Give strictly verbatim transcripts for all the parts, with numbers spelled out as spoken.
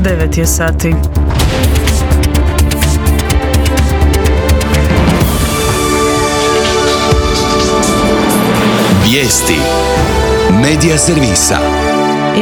devet je sati. Vijesti Medija servisa.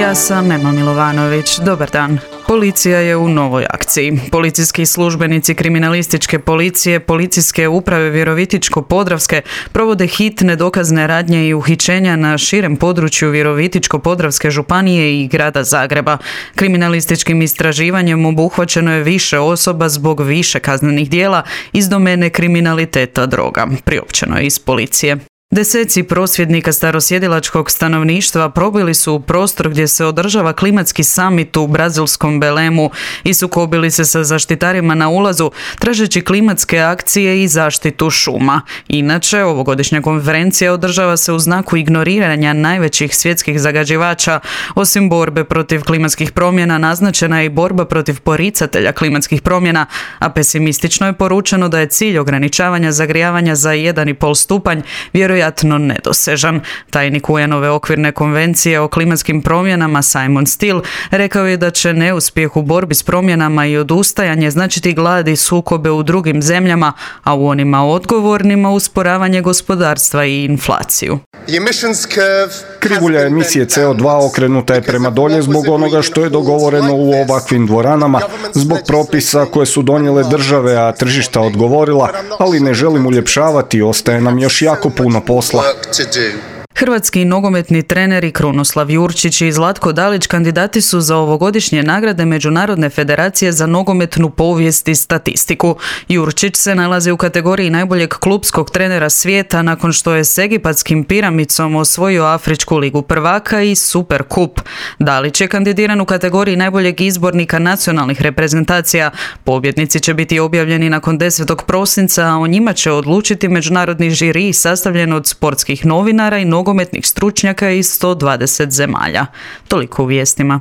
Ja sam Ema Milovanović. Dobar dan. Policija je u novoj akciji. Policijski službenici kriminalističke policije, policijske uprave Virovitičko-Podravske provode hitne dokazne radnje i uhićenja na širem području Virovitičko-Podravske županije i grada Zagreba. Kriminalističkim istraživanjem obuhvaćeno je više osoba zbog više kaznenih djela iz domene kriminaliteta droga, priopćeno je iz policije. Deseci prosvjednika starosjedilačkog stanovništva probili su u prostor gdje se održava klimatski samit u brazilskom Belemu i sukobili se sa zaštitarima na ulazu, tražeći klimatske akcije i zaštitu šuma. Inače, ovogodišnja konferencija održava se u znaku ignoriranja najvećih svjetskih zagađivača. Osim borbe protiv klimatskih promjena, naznačena je i borba protiv poricatelja klimatskih promjena, a pesimistično je poručeno da je cilj ograničavanja zagrijavanja za jedan i pol stupanj vjerojatno vjerojatno nedosežan. Tajnik U N-ove okvirne konvencije o klimatskim promjenama Simon Still rekao je da će neuspjeh u borbi s promjenama i odustajanje značiti glad i sukobe u drugim zemljama, a u onima odgovornima usporavanje gospodarstva i inflaciju. Krivulja emisije C O dva okrenuta je prema dolje zbog onoga što je dogovoreno u ovakvim dvoranama, zbog propisa koje su donijele države, a tržišta odgovorila, ali ne želim uljepšavati, ostaje nam još jako puno posla. Hrvatski nogometni treneri Krunoslav Jurčić i Zlatko Dalić kandidati su za ovogodišnje nagrade Međunarodne federacije za nogometnu povijest i statistiku. Jurčić se nalazi u kategoriji najboljeg klupskog trenera svijeta nakon što je s egipatskim Piramicom osvojio Afričku ligu prvaka i Super kup. Dalić je kandidiran u kategoriji najboljeg izbornika nacionalnih reprezentacija. Pobjednici će biti objavljeni nakon desetog prosinca, a o njima će odlučiti međunarodni žiri sastavljen od sportskih novinara i nogometnih stručnjaka iz sto dvadeset zemalja. Toliko u vijestima.